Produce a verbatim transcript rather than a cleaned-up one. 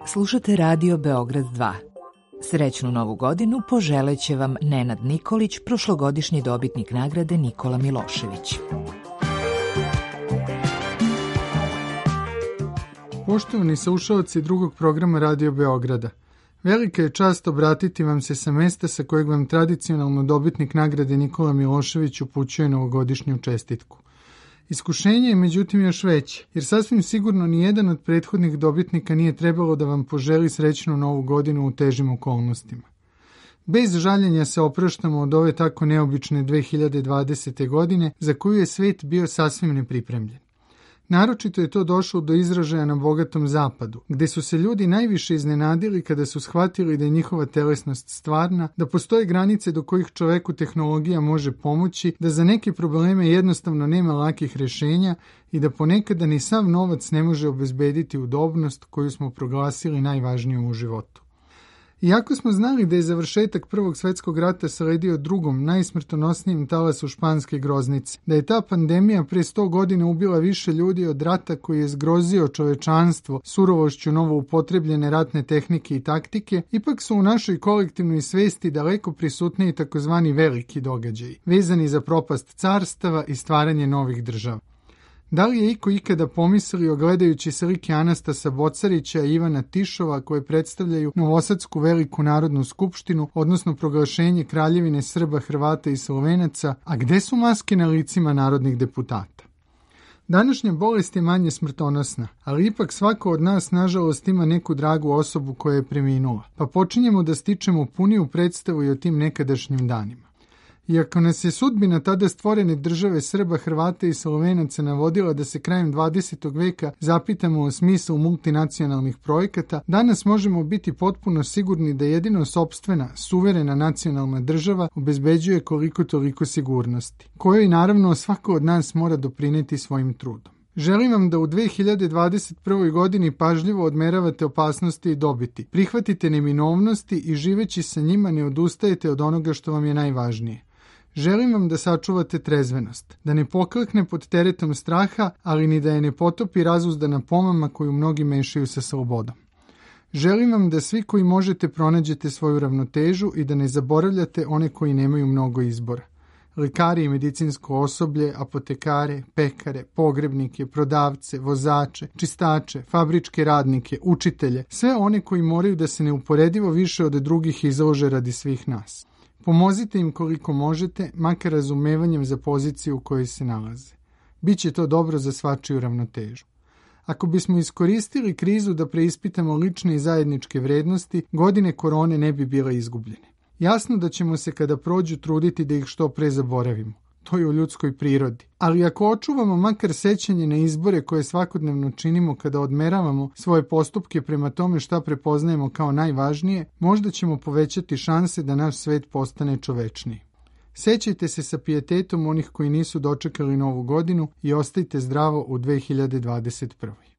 Slušate Radio Beograd dva. Srećnu novu godinu poželeće vam Nenad Nikolić, prošlogodišnji dobitnik nagrade Nikola Milošević. Poštovani slušaoci drugog programa Radio Beograda, velika je čast obratiti vam se sa mesta sa kojeg vam tradicionalno dobitnik nagrade Nikola Milošević upućuje novogodišnju čestitku. Iskušenje je međutim još veće, jer sasvim sigurno nijedan od prethodnih dobitnika nije trebalo da vam poželi srećnu novu godinu u težim okolnostima. Bez žaljenja se opraštamo od ove tako neobične dve hiljade dvadesete. godine za koju je svet bio sasvim nepripremljen. Naročito je to došlo do izražaja na bogatom zapadu, gde su se ljudi najviše iznenadili kada su shvatili da je njihova telesnost stvarna, da postoje granice do kojih čoveku tehnologija može pomoći, da za neke probleme jednostavno nema lakih rješenja i da ponekada ni sav novac ne može obezbediti udobnost koju smo proglasili najvažnijom u životu. Iako smo znali da je završetak Prvog svjetskog rata sledio drugom, najsmrtonosnijim talasu španske groznice, da je ta pandemija pre sto godina ubila više ljudi od rata koji je zgrozio čovečanstvo surovošću novo upotrebljene ratne tehnike i taktike, ipak su u našoj kolektivnoj svesti daleko prisutniji takozvani veliki događaji, vezani za propast carstava i stvaranje novih država. Da li je iko ikada pomislio gledajući slike Anastasa Bocarića i Ivana Tišova koje predstavljaju Novosadsku veliku narodnu skupštinu, odnosno proglašenje Kraljevine Srba, Hrvata i Slovenaca, a gde su maske na licima narodnih deputata? Današnja bolest je manje smrtonosna, ali ipak svako od nas nažalost ima neku dragu osobu koja je preminula, pa počinjemo da stičemo puniju predstavu i o tim nekadašnjim danima. Iako nas je sudbina tada stvorene države Srba, Hrvata i Slovenaca navodila da se krajem dvadesetog veka zapitamo o smislu multinacionalnih projekata, danas možemo biti potpuno sigurni da jedino sopstvena, suverena nacionalna država obezbeđuje koliko toliko sigurnosti, kojoj naravno svako od nas mora doprineti svojim trudom. Želim vam da u dve hiljade dvadeset prvoj. godini pažljivo odmeravate opasnosti i dobiti, prihvatite neminovnosti i živeći sa njima ne odustajete od onoga što vam je najvažnije. Želim vam da sačuvate trezvenost, da ne poklekne pod teretom straha, ali ni da je ne potopi razuzdana pomama koju mnogi mešaju sa slobodom. Želim vam da svi koji možete pronađete svoju ravnotežu i da ne zaboravljate one koji nemaju mnogo izbora. Lekari i medicinsko osoblje, apotekare, pekare, pogrebnike, prodavce, vozače, čistače, fabričke radnike, učitelje, sve one koji moraju da se neuporedivo više od drugih izlože radi svih nas. Pomozite im koliko možete, makar razumevanjem za poziciju u kojoj se nalaze. Biće to dobro za svačiju ravnotežu. Ako bismo iskoristili krizu da preispitamo lične i zajedničke vrednosti, godine korone ne bi bile izgubljene. Jasno da ćemo se kada prođu truditi da ih što pre zaboravimo. To je u ljudskoj prirodi. Ali ako očuvamo makar sećanje na izbore koje svakodnevno činimo kada odmeravamo svoje postupke prema tome šta prepoznajemo kao najvažnije, možda ćemo povećati šanse da naš svet postane čovečniji. Sećajte se sa pijetetom onih koji nisu dočekali novu godinu i ostajte zdravo u dve hiljade dvadeset prvoj.